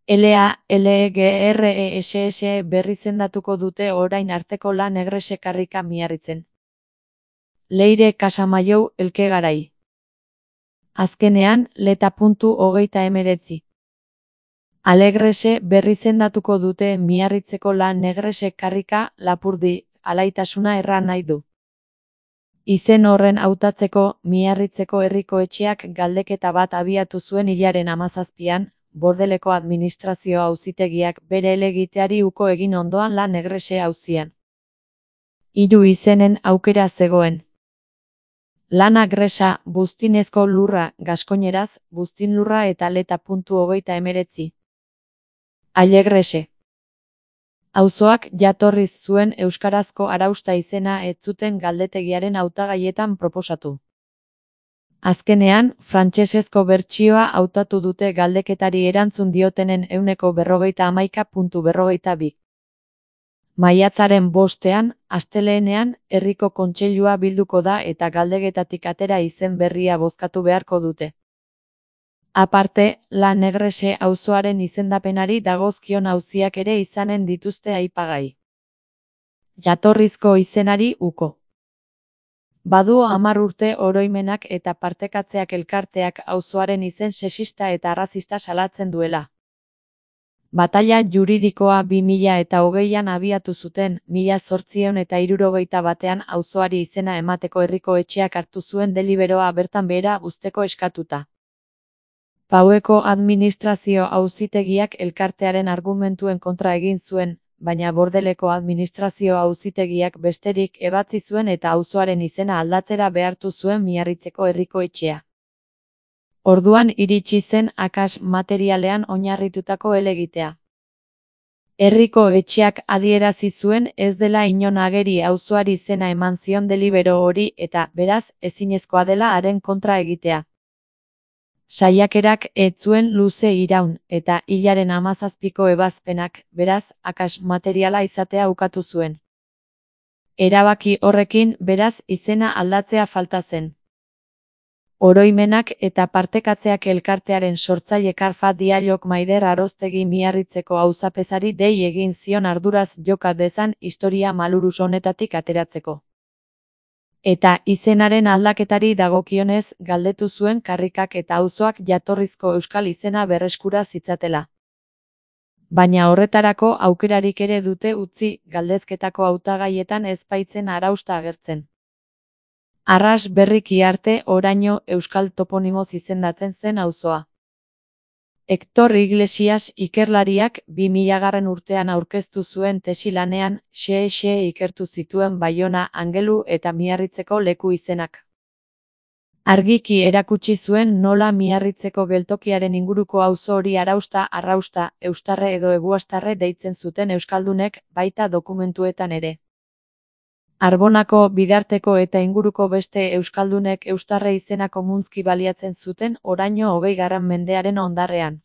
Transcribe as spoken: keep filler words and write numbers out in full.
L A L E G R E S S berrizendatuko dute orain arteko La Negrese karrika Miarritzen. Leire Casamaiou Elkegarai. Azkenean, leta puntu hogeita emeretzi. Alegrese berrizendatuko dute Miarritzeko La Negrese karrika Lapurdi, alaitasuna erran nahi du. Izen horren hautatzeko, Miarritzeko herriko etxeak galdeketa bat abiatu zuen hilaren hamazazpian, Bordeleko administrazio auzitegiak bere helegiteari uko egin ondoan La Negrese auzian. Hiru izenen aukera zegoen. La Negresa, buztinezko lurra, gaskoineraz, buztinlurra eta leta puntu hogeita emeretzi. Alegrese. Auzoak jatorriz zuen euskarazko arausta izena ez zuten galdetegiaren hautagaietan proposatu. Azkenean, frantsesezko bertsioa hautatu dute galdeketari erantzun diotenen ehuneko berrogeita hamaika puntu berrogeita bi. Maiatzaren bostean, astelehenean, herriko kontseilua bilduko da eta galdeketatik atera izen berria bozkatu beharko dute. Aparte, La Negrese auzoaren izendapenari dagozkion auziak ere izanen dituzte aipagai. Jatorrizko izenari uko. Badu hamar urte oroimenak eta partekatzeak elkarteak auzoaren izen sexista eta arrazista salatzen duela. Bataila juridikoa bi mila eta hogeian abiatu zuten, mila zortziehun eta hirurogeita batean auzoari izena emateko herriko etxeak hartu zuen deliberoa bertan behera uzteko eskatuta. Paueko administrazio auzitegiak elkartearen argumentuen kontra egin zuen, baina Bordeleko administrazio auzitegiak besterik ebatzi zuen eta auzoaren izena aldatzera behartu zuen Miarritzeko herriko etxea. Orduan iritsi zen akas materialean oinarritutako helegitea. Herriko etxeak adierazi zuen ez dela inon ageri auzoari izena eman zion delibero hori eta, beraz, ezinezkoa dela haren kontra egitea. Saiakerak ez zuen luze iraun, eta hilaren hamazazpiko ebazpenak, beraz, akas materiala izatea ukatu zuen. Erabaki horrekin, beraz, izena aldatzea falta zen. Oroimenak eta partekatzeak elkartearen sortzaile Karfa Dialok Maider Aroztegi Miarritzeko auzapezari dei egin zion arduraz joka dezan historia malurus honetatik ateratzeko. Eta izenaren aldaketari dagokionez galdetu zuen karrikak eta auzoak jatorrizko euskal izena berreskura zitzatela. Baina horretarako aukerarik ere dute utzi galdezketako hautagaietan ez baitzen arausta agertzen. Arras berriki arte oraino euskal toponimoz izendatzen zen auzoa. Hector Iglesias ikerlariak bi milagarren urtean aurkeztu zuen tesi lanean, xe-xe ikertu zituen Baiona, Angelu eta Miarritzeko leku izenak. Argiki erakutsi zuen nola Miarritzeko geltokiaren inguruko auzo hori arausta, arrausta, eustarre edo eguastarre deitzen zuten euskaldunek, baita dokumentuetan ere. Arbonako, Bidarteko eta inguruko beste euskaldunek eustarre izena komunzki baliatzen zuten oraino hogeigarren mendearen ondarrean.